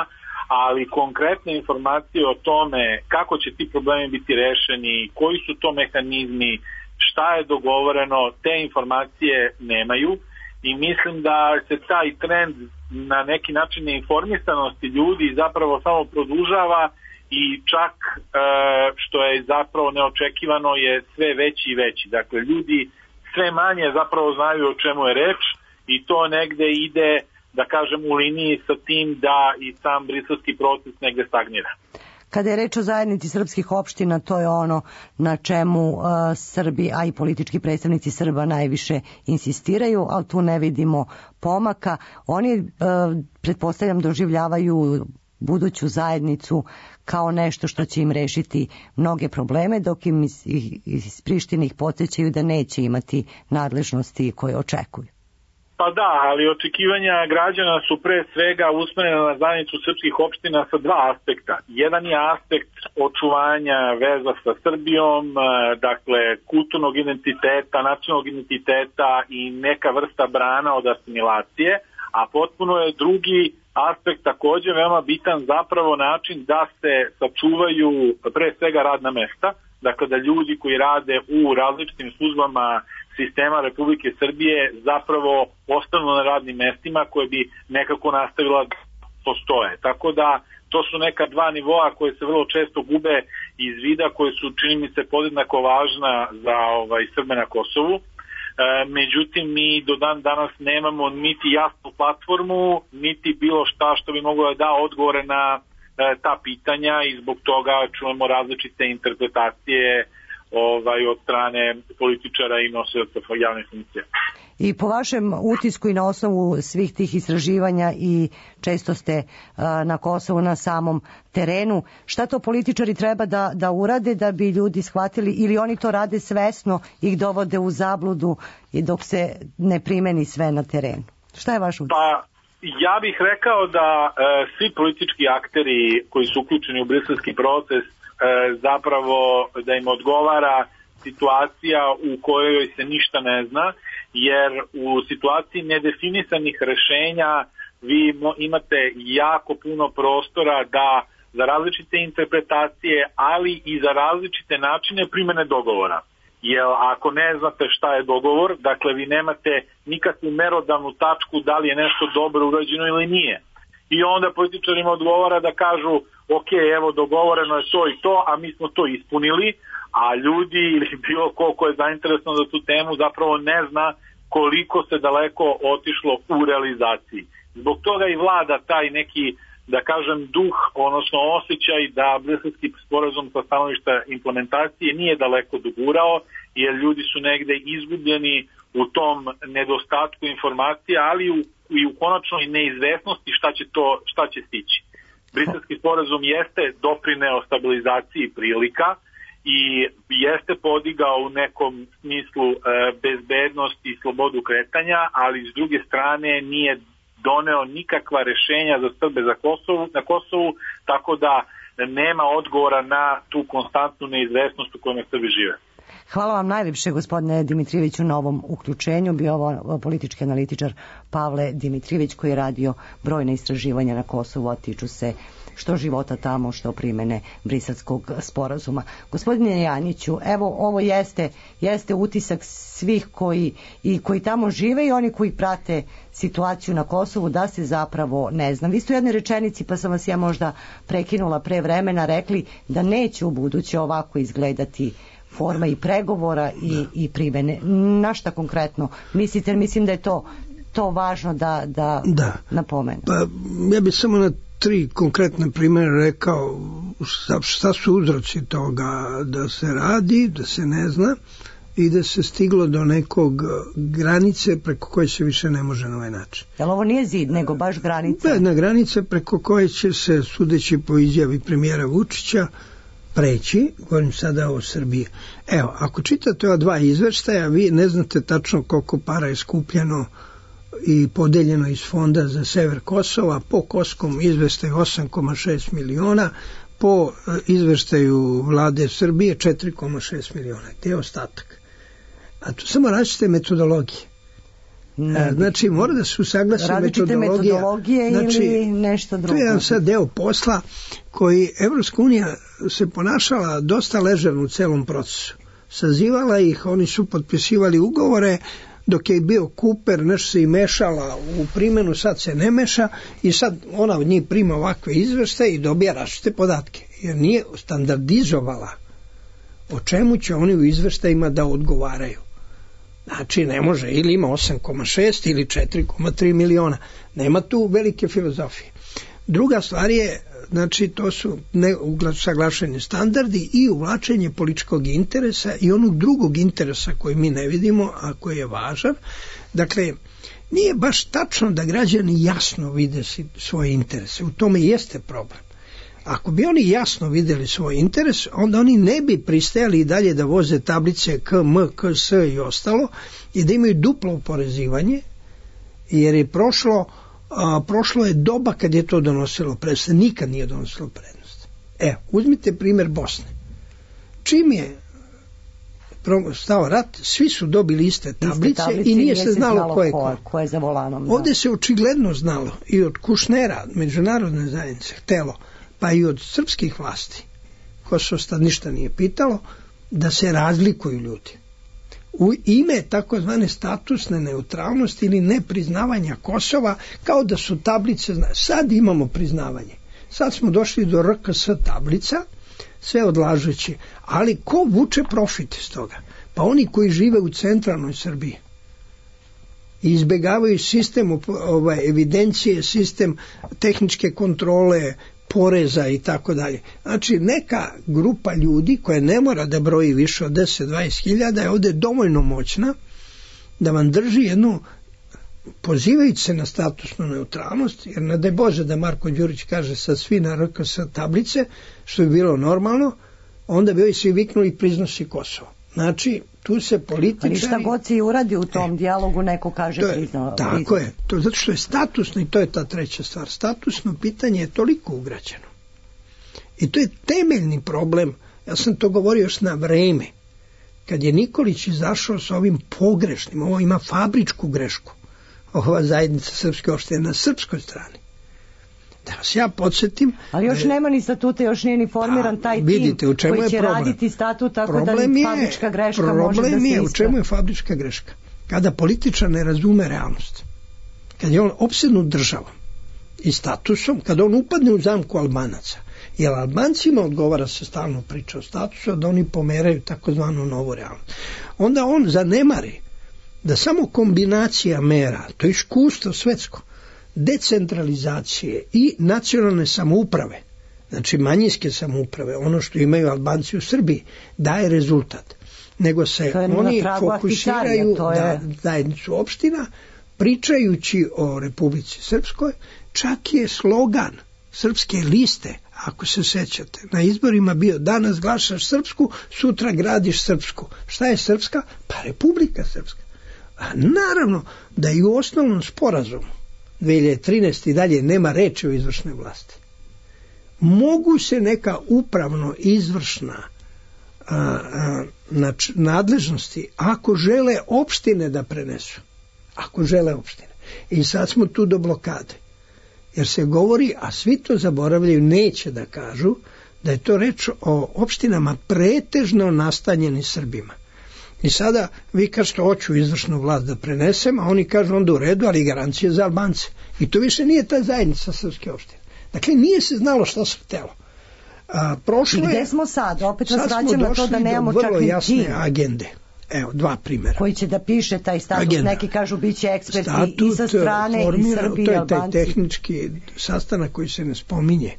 [SPEAKER 11] ali konkretne informacije o tome kako će ti problemi biti rešeni, koji su to mehanizmi, šta je dogovoreno, te informacije nemaju i mislim da se taj trend na neki način neinformisanosti ljudi zapravo samo produžava i čak e, što je zapravo neočekivano je sve veći i veći. Dakle, ljudi sve manje zapravo znaju o čemu je reč i to negde ide, da kažem, u liniji sa tim da i sam briselski proces negde stagnira.
[SPEAKER 3] Kada je reč o zajednici srpskih opština, to je ono na čemu uh, Srbi, a i politički predstavnici Srba najviše insistiraju, ali tu ne vidimo pomaka. Oni, uh, pretpostavljam, doživljavaju buduću zajednicu kao nešto što će im rešiti mnoge probleme, dok im iz, iz Prištine ih podsjećaju da neće imati nadležnosti koje očekuju.
[SPEAKER 11] Pa da, ali očekivanja građana su pre svega usmerena na zajednicu srpskih opština sa dva aspekta. Jedan je aspekt očuvanja veza sa Srbijom, dakle kulturnog identiteta, nacionalnog identiteta i neka vrsta brana od asimilacije, a potpuno je drugi aspekt takođe veoma bitan, zapravo način da se sačuvaju pre svega radna mesta, dakle da ljudi koji rade u različitim službama sistema Republike Srbije zapravo ostanu na radnim mestima koje bi nekako nastavila da postoje. Tako da to su neka dva nivoa koje se vrlo često gube iz vida, koje su, čini mi se, podjednako važna za ovaj, Srbe na Kosovu. E, međutim, mi do dan danas nemamo niti jasnu platformu, niti bilo šta što bi moglo da da odgovore na e, ta pitanja i zbog toga čujemo različite interpretacije ovaj, od strane političara i nosioca javnih funkcija.
[SPEAKER 3] I po vašem utisku i na osnovu svih tih istraživanja i često ste a, na Kosovu na samom terenu, šta to političari treba da, da urade da bi ljudi shvatili, ili oni to rade svesno i ih dovode u zabludu i dok se ne primeni sve na terenu? Šta je vaš utisak?
[SPEAKER 11] Pa, ja bih rekao da e, svi politički akteri koji su uključeni u briselski proces zapravo da im odgovara situacija u kojoj se ništa ne zna, jer u situaciji nedefinisanih rešenja vi imate jako puno prostora da za različite interpretacije, ali i za različite načine primene dogovora. Jer ako ne znate šta je dogovor, dakle vi nemate nikakvu merodavnu tačku da li je nešto dobro urađeno ili nije. I onda političarima odgovara da kažu ok, evo dogovoreno je to i to, a mi smo to ispunili, a ljudi ili bilo ko ko je zainteresovan za tu temu zapravo ne zna koliko se daleko otišlo u realizaciji. Zbog toga i vlada taj neki, da kažem, duh, odnosno osjećaj da Briselski sporazum sa stanovišta implementacije nije daleko dogurao, jer ljudi su negde izgubljeni u tom nedostatku informacija, ali u, i u konačnoj neizvesnosti šta će, to, šta će stići. Briselski sporazum jeste doprineo stabilizaciji prilika i jeste podigao u nekom smislu e, bezbednost i slobodu kretanja, ali s druge strane nije doneo nikakva rešenja za Srbe za Kosovu, na Kosovu, tako da nema odgovora na tu konstantnu neizvesnost u kojoj Srbi žive.
[SPEAKER 3] Hvala vam najljepše, gospodine Dimitrijeviću, na ovom uključenju. Bio ovo politički analitičar Pavle Dimitrijević, koji je radio brojne istraživanja na Kosovu, a tiču se što života tamo, što primene Briselskog sporazuma. Gospodine Janjiću, evo ovo jeste, jeste utisak svih koji, i koji tamo žive i oni koji prate situaciju na Kosovu, da se zapravo ne zna. Vi ste u jednoj rečenici, pa sam vas ja možda prekinula pre vremena, rekli da neće u buduće ovako izgledati forma i pregovora i, i primene. Na šta konkretno mislite? Mislim da je to, to važno da, da, da. napomenu.
[SPEAKER 4] Pa, ja bih samo na tri konkretne primjere rekao šta, šta su uzroci toga da se radi, da se ne zna i da se stiglo do nekog granice preko koje se više ne može na ovaj način.
[SPEAKER 3] Jel ovo nije zid, nego baš granica?
[SPEAKER 4] Jedna granica preko koje će se, sudeći po izjavi premijera Vučića, preći, govorim sada o Srbiji. Evo, ako čitate ova dva izveštaja, vi ne znate tačno koliko para je skupljeno i podeljeno iz fonda za sever Kosova, po koskom izveštaju osam zarez šest miliona, po izveštaju vlade Srbije četiri zarez šest miliona. To je ostatak. A to samo različite metodologije. Ne, znači mora da se usaglasi metodologija,
[SPEAKER 3] metodologije znači, ili nešto drugo.
[SPEAKER 4] To je jedan sad deo posla koji Evropska unija se ponašala dosta ležerno u celom procesu. Sazivala ih, oni su potpisivali ugovore, dok je bio Kuper, nešto se i mešala u primjenu, sad se ne meša i sad ona od njih prima ovakve izveštaje i dobija različite podatke, jer nije standardizovala o čemu će oni u izveštajima da odgovaraju. Znači ne može, ili ima osam zarez šest ili četiri zarez tri miliona. Nema tu velike filozofije. Druga stvar je, znači to su saglašeni standardi i uvlačenje političkog interesa i onog drugog interesa koji mi ne vidimo, a koji je važan. Dakle, nije baš tačno da građani jasno vide svoje interese. U tome jeste problem. Ako bi oni jasno videli svoj interes, onda oni ne bi pristajali i dalje da voze tablice K, M, K, S i ostalo i da imaju duplo oporezivanje, jer je prošlo, a, prošlo je doba kad je to donosilo prednost. Nikad nije donosilo prednost. E, uzmite primjer Bosne. Čim je stao rat, svi su dobili iste tablice, iste tablice i nije se znalo, znalo ko je ko.
[SPEAKER 3] ko je za volanom.
[SPEAKER 4] Ovdje da. se očigledno znalo i od Kušnera, međunarodne zajednice, htelo, pa i od srpskih vlasti, Kosovo sad ništa nije pitalo, da se razlikuju ljudi. U ime takozvane statusne neutralnosti ili nepriznavanja Kosova, kao da su tablice, sad imamo priznavanje. Sad smo došli do R K S tablica, sve odlažući, ali ko vuče profit iz toga? Pa oni koji žive u centralnoj Srbiji i izbjegavaju sistem ovaj, evidencije, sistem tehničke kontrole, poreza i tako dalje. Znači neka grupa ljudi koja ne mora da broji više od deset do dvadeset hiljada je ovdje dovoljno moćna da vam drži jednu, pozivajući se na statusnu neutralnost, jer ne daj Bože da Marko Đurić kaže sad svi na R K S tablice, što bi bilo normalno, onda bi ovi svi viknuli priznosi Kosovo. Znači, tu se političari...
[SPEAKER 3] Ali šta god se i uradi u tom e, dijalogu, neko kaže
[SPEAKER 4] to je,
[SPEAKER 3] priznao.
[SPEAKER 4] Tako
[SPEAKER 3] priznao.
[SPEAKER 4] je, to, zato što je statusno i to je ta treća stvar. Statusno pitanje je toliko ugrađeno. I to je temeljni problem. Ja sam to govorio još na vreme. Kad je Nikolić izašao sa ovim pogrešnim, ovo ima fabričku grešku, ova zajednica srpske opštine na srpskoj strani. Da vas ja podsjetim...
[SPEAKER 3] Ali još
[SPEAKER 4] da,
[SPEAKER 3] nema ni statuta, još nije ni formiran taj tim
[SPEAKER 4] vidite, u čemu
[SPEAKER 3] koji će
[SPEAKER 4] je problem?
[SPEAKER 3] raditi statut, tako
[SPEAKER 4] problem
[SPEAKER 3] da
[SPEAKER 4] je,
[SPEAKER 3] fabrička greška može da se
[SPEAKER 4] Problem je,
[SPEAKER 3] istra.
[SPEAKER 4] u čemu je fabrička greška? Kada političar ne razume realnost, kad je on opsednut državom i statusom, kada on upadne u zamku Albanaca, jer Albancima odgovara se stalno priča o statusu, da oni pomeraju takozvanu novu realnost. Onda on zanemari da samo kombinacija mera, to je iskustvo svetsko, decentralizacije i nacionalne samouprave, znači manjinske samouprave, ono što imaju Albanci u Srbiji, daje rezultat. Nego se oni fokusiraju je... na zajednicu opština, pričajući o Republici Srpskoj, čak je slogan Srpske liste, ako se sećate, na izborima bio danas glasaš Srpsku, sutra gradiš Srpsku. Šta je Srpska? Pa Republika Srpska. A naravno da i u osnovnom sporazumu dve hiljade trinaeste. i dalje nema reči o izvršnoj vlasti. Mogu se neka upravno izvršna a, a, na nadležnosti ako žele opštine da prenesu. Ako žele opštine. I sad smo tu do blokade. Jer se govori, a svi to zaboravljaju, neće da kažu, da je to reč o opštinama pretežno nastanjeni Srbima. I sada vi kažete, hoću izvršnu vlast da prenesem, a oni kažu onda u redu, ali garancije za Albance. I to više nije ta zajednica srpske opštine. Dakle, nije se znalo šta se htelo. A, prošlo je,
[SPEAKER 3] gde smo sad? Opet vas vraćam na to da nemamo čak ni
[SPEAKER 4] jasne
[SPEAKER 3] tim.
[SPEAKER 4] agende. Evo, dva primjera.
[SPEAKER 3] Koji će da piše taj status, agenda. Neki kažu bit će eksperti
[SPEAKER 4] Statut,
[SPEAKER 3] i sa strane
[SPEAKER 4] formira,
[SPEAKER 3] i Srbije i Albanci.
[SPEAKER 4] To je taj tehnički sastanak koji se ne spominje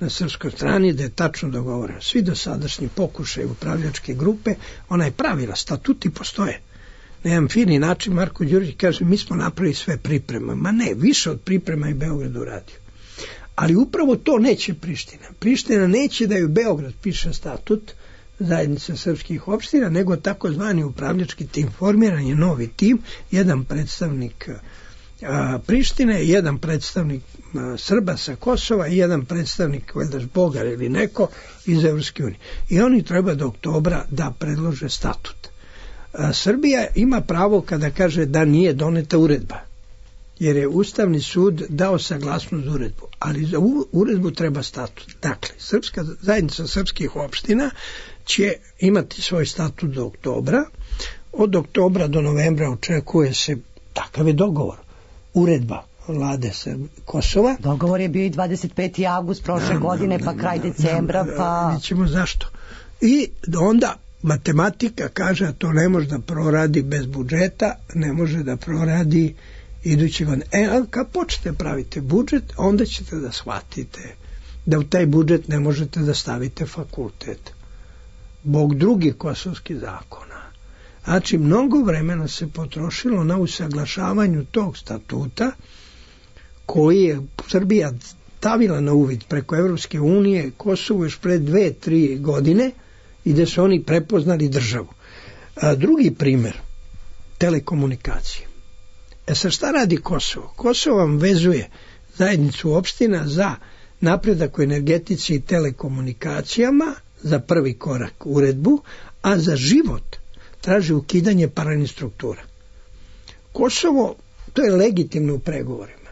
[SPEAKER 4] na srpskoj strani, da je tačno dogovoreno. Svi dosadašnji pokušaj upravljačke grupe, ona je pravila, statuti postoje. Na jedan fini način Marko Đurić kaže, mi smo napravili sve pripreme. Ma ne, više od priprema i Beograd uradio. Ali upravo to neće Priština. Priština neće da ju Beograd piše statut zajednice srpskih opština, nego takozvani upravljački tim. Formiran je novi tim, jedan predstavnik a, Prištine, jedan predstavnik a, Srba sa Kosova i jedan predstavnik, valjda Bogar ili neko iz Evropske unije. I oni treba do oktobra da predlože statut. A, Srbija ima pravo kada kaže da nije doneta uredba, jer je Ustavni sud dao saglasnost za uredbu, ali za uredbu treba statut. Dakle, Srpska zajednica srpskih opština će imati svoj statut do oktobra. Od oktobra do novembra očekuje se, takav je dogovor, uredba vlade Kosova.
[SPEAKER 3] Dogovor je bio i dvadeset peti avgust prošle
[SPEAKER 4] da,
[SPEAKER 3] godine,
[SPEAKER 4] da,
[SPEAKER 3] pa
[SPEAKER 4] da,
[SPEAKER 3] kraj
[SPEAKER 4] da,
[SPEAKER 3] decembra,
[SPEAKER 4] da,
[SPEAKER 3] pa...
[SPEAKER 4] Vidjet ćemo zašto. I onda matematika kaže, a to ne može da proradi bez budžeta, ne može da proradi iduće godine. E, a kad počnete pravite budžet, onda ćete da shvatite da u taj budžet ne možete da stavite fakultet. Bog drugih kosovskih zakona. Znači, mnogo vremena se potrošilo na usaglašavanju tog statuta koji je Srbija stavila na uvid preko Evropske unije Kosovo još pre dve, tri godine i da su oni prepoznali državu. A drugi primer, telekomunikacije. E sad šta radi Kosovo? Kosovo vam vezuje zajednicu opština za napredak u energetici i telekomunikacijama, za prvi korak uredbu, a za život traži ukidanje paralelnih struktura. Kosovo, to je legitimno u pregovorima.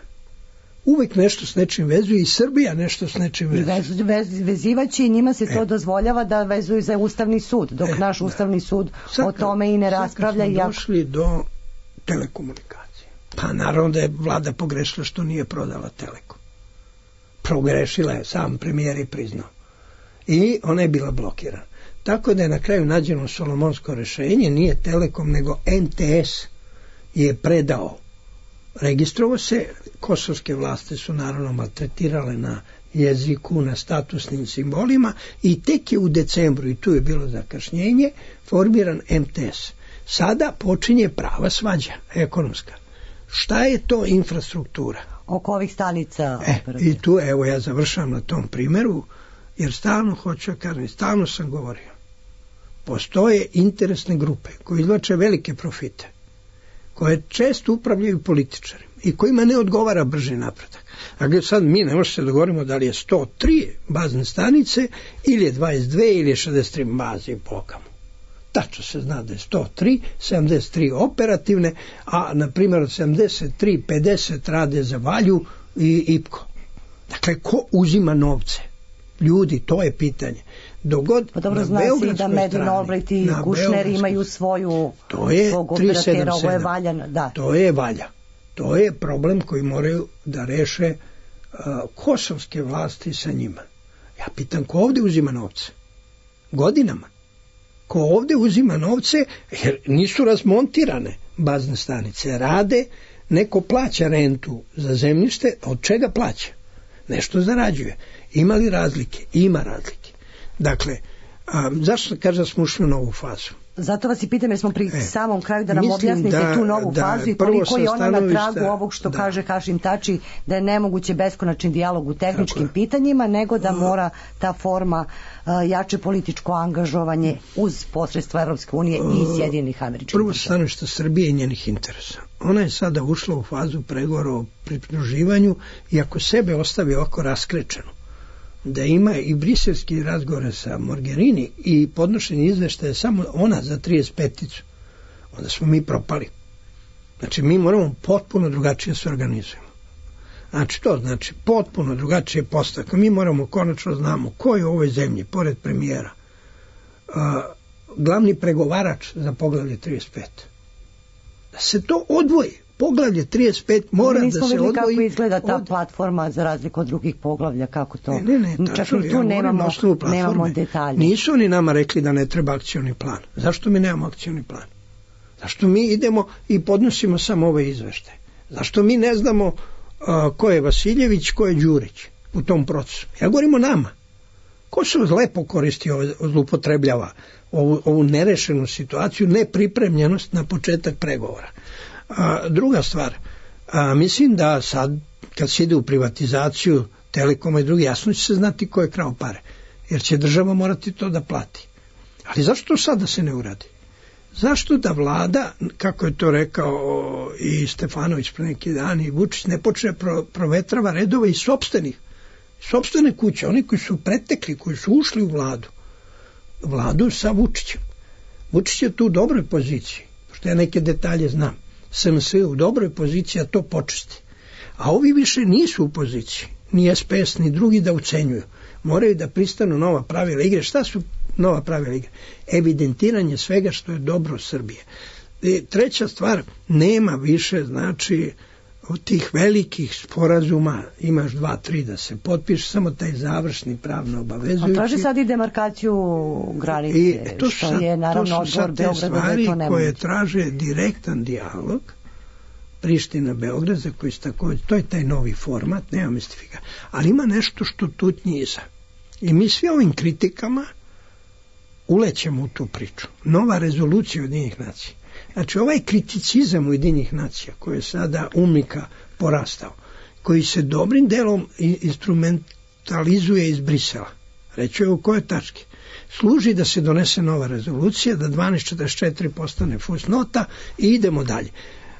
[SPEAKER 4] Uvek nešto s nečim vezuje i Srbija nešto s nečim vezuje.
[SPEAKER 3] Vez, vez, vezivaći njima se to e. dozvoljava da vezuju za Ustavni sud, dok e, naš Ustavni da. sud sad, o tome i ne raspravlja.
[SPEAKER 4] Sad kad smo došli do telekomunikacije. Pa naravno da je vlada pogrešila što nije prodala Telekom. Progrešila je, sam premijer je priznao. I ona je bila blokirana. Tako da je na kraju nađeno solomonsko rešenje, nije Telekom, nego en te es je predao. Registrovo se, kosovske vlasti su naravno maltretirale na jeziku, na statusnim simbolima i tek je u decembru, i tu je bilo zakašnjenje, formiran em te es. Sada počinje prava svađa, ekonomska. Šta je to infrastruktura?
[SPEAKER 3] Oko ovih stanica.
[SPEAKER 4] E, i tu, evo, ja završavam na tom primeru, jer stalno hoću, kažem, stalno sam govorio. Postoje interesne grupe koje izvlače velike profite, koje često upravljaju političari i kojima ne odgovara brži napredak. A gdje sad mi ne možemo se dogovorimo da li je sto tri bazne stanice ili je dvadeset dve ili je šezdeset tri baze po okamu. Tačno se zna da je sto tri, sedamdeset tri operativne, a na primjer od sedamdeset tri, pedeset rade za Valju i Ipko. Dakle, ko uzima novce? Ljudi, to je pitanje. Dogod
[SPEAKER 3] pa dobro, zna se i da Medin Albright i Kušner imaju svoju to je svog operatera, ovo je Valja. Da.
[SPEAKER 4] To je Valja. To je problem koji moraju da reše uh, kosovske vlasti sa njima. Ja pitam, ko ovde uzima novce? Godinama. Ko ovde uzima novce, jer nisu razmontirane bazne stanice, rade, neko plaća rentu za zemljište, od čega plaća? Nešto zarađuje. Ima li razlike? Ima razlike. Dakle, a, zašto kaže da smo ušli u novu fazu?
[SPEAKER 3] Zato vas i pitam, jer smo pri e, samom kraju da nam objasnite da, tu novu da, fazu i koliko je ona na tragu ovog što da. kaže Hašim Tači, da je nemoguće beskonačni dijalog u tehničkim Tako pitanjima, nego da mora ta forma uh, jače političko angažovanje uz posredstvo Evropske unije i Sjedinjenih Američkih Država.
[SPEAKER 4] Prvo stanovište Srbije i njenih interesa. Ona je sada ušla u fazu pregovora o pridruživanju i ako sebe ostavi ovako raskrečenu, da ima i briselski razgovore sa Mogherini i podnošenje izveštaja samo ona za trideset peticu, onda smo mi propali. Znači, mi moramo potpuno drugačije se organizujemo. Znači, to znači potpuno drugačije postavke. Mi moramo konačno znamo ko je u ovoj zemlji, pored premijera, uh, glavni pregovarač za poglavlje trideset pet. Da se to odvoji. Poglavlje trideset pet mora da se odvoji.
[SPEAKER 3] Nismo kako izgleda ta od... platforma za razliku od drugih poglavlja, kako to?
[SPEAKER 4] Ne, ne, ne,
[SPEAKER 3] čak i tu ja nemamo, nemamo detalje.
[SPEAKER 4] Nisu oni nama rekli da ne treba akcioni plan. Zašto mi nemamo akcioni plan? Zašto mi idemo i podnosimo samo ove izveštaje? Zašto mi ne znamo uh, ko je Vasiljević, ko je Đurić u tom procesu? Ja govorim o nama. Ko se lepo koristi, zloupotrebljava ovu, ovu nerešenu situaciju, nepripremljenost na početak pregovora. A, druga stvar, a, mislim da sad kad se ide u privatizaciju Telekoma i drugi, jasno će se znati ko je krao pare, jer će država morati to da plati. Ali zašto to sad da se ne uradi? Zašto da vlada, kako je to rekao i Stefanović pre neki dan i Vučić, ne počne pro, provetrava redove iz sopstvenih, sopstvene kuće, oni koji su pretekli, koji su ušli u vladu, vladu sa Vučićem. Vučić je tu u dobroj poziciji, pošto ja neke detalje znam. S M S u dobroj poziciji, a to počesti. A ovi više nisu u poziciji, ni S P S, ni drugi da ucenjuju. Moraju da pristanu nova pravila igre. Šta su nova pravila igre? Evidentiranje svega što je dobro Srbije. I treća stvar, nema više, znači, od tih velikih sporazuma, imaš dva, tri da se potpiše, samo taj završni pravno obavezujući.
[SPEAKER 3] A traži sad i demarkaciju granice, I to što sad, je naravno odgovor Beograda da je to nemoguće.
[SPEAKER 4] Koje traže direktan dijalog Priština-Beograd, za koji se takođe, to je taj novi format, nema mistifika. Ali ima nešto što tutnji iza. I mi svi ovim kritikama ulećemo u tu priču. Nova rezolucija Ujedinjenih nacija. Znači, ovaj kriticizam Ujedinjenih nacija, koji je sada umnika porastao, koji se dobrim delom instrumentalizuje iz Brisela, reći je u kojoj tački, služi da se donese nova rezolucija, da dvanaest četrdeset četiri postane fusnota i idemo dalje.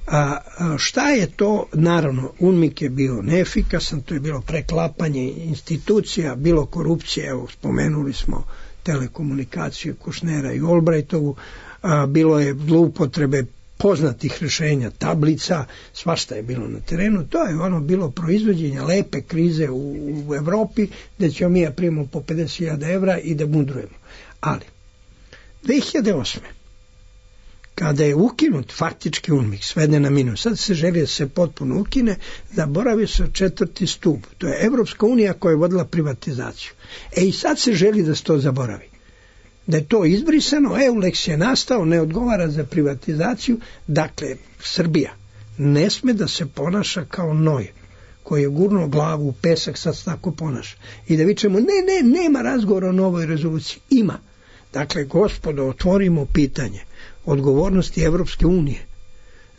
[SPEAKER 4] A, a šta je to? Naravno, UNMIK je bio neefikasan, to je bilo preklapanje institucija, bilo korupcije, evo, spomenuli smo telekomunikaciju Kušnera i Olbrajtovu, a, bilo je zloupotrebe poznatih rešenja, tablica, svašta je bilo na terenu, to je ono bilo proizvođenje lepe krize u, u Evropi, gde ćemo mi ja primamo po pedeset hiljada evra i da mudrujemo. Ali, dve hiljade osme kada je ukinut faktički UNMIK, svede na minus, sad se želi da se potpuno ukine, zaboravio se četvrti stup, to je Evropska unija koja je vodila privatizaciju. E i sad se želi da se to zaboravi. Da je to izbrisano, EULEX je nastao, ne odgovara za privatizaciju, dakle, Srbija ne sme da se ponaša kao noj, koji je gurnuo glavu u pesak, sad se tako ponaša. I da vičemo, ne, ne, nema razgovora o novoj rezoluciji. Ima. Dakle, gospodo, otvorimo pitanje odgovornosti Evropske unije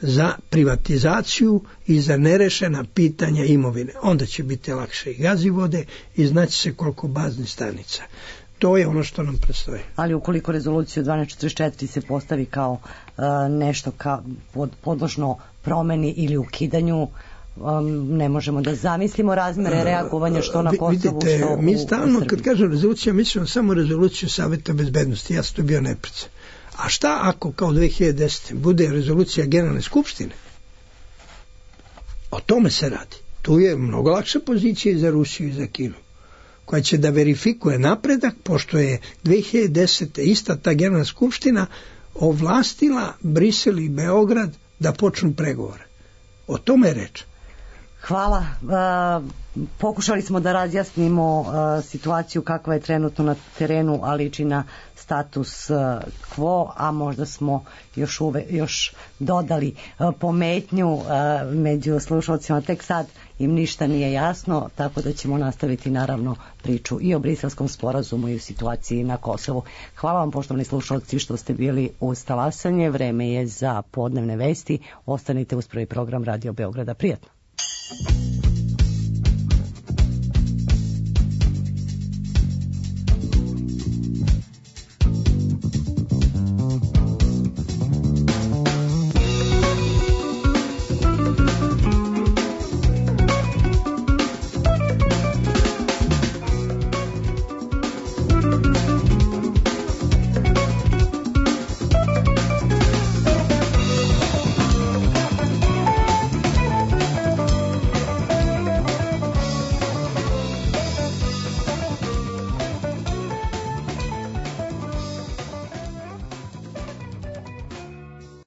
[SPEAKER 4] za privatizaciju i za nerešena pitanja imovine. Onda će biti lakše i gazivode i znaće se koliko baznih stanica. To je ono što nam predstoji.
[SPEAKER 3] Ali ukoliko rezoluciju dvanaest četrdeset četiri se postavi kao uh, nešto ka, pod, podložno promeni ili ukidanju, um, ne možemo da zamislimo razmere reagovanja što na Kosovu,
[SPEAKER 4] vidite,
[SPEAKER 3] što u,
[SPEAKER 4] mi stalno,
[SPEAKER 3] u
[SPEAKER 4] kad kažem rezolucija, mislimo samo rezoluciju Saveta bezbednosti. Ja sam to bio neprica. A šta ako kao dve hiljade desete bude rezolucija Generalne skupštine? O tome se radi. Tu je mnogo lakša pozicija i za Rusiju i za Kinu, koja će da verifikuje napredak, pošto je dve hiljade desete ista ta Generalna skupština ovlastila Brisel i Beograd da počnu pregovore. O tome je reč.
[SPEAKER 3] Hvala. E, pokušali smo da razjasnimo e, situaciju kakva je trenutno na terenu, a liči na status e, quo, a možda smo još, uve, još dodali e, pometnju e, među slušalcima. Tek sad im ništa nije jasno, tako da ćemo nastaviti naravno priču i o Briselskom sporazumu i o situaciji na Kosovu. Hvala vam, poštovani slušalci, što ste bili uz talasanje. Vreme je za podnevne vesti. Ostanite uz prvi program Radio Beograda. Prijatno.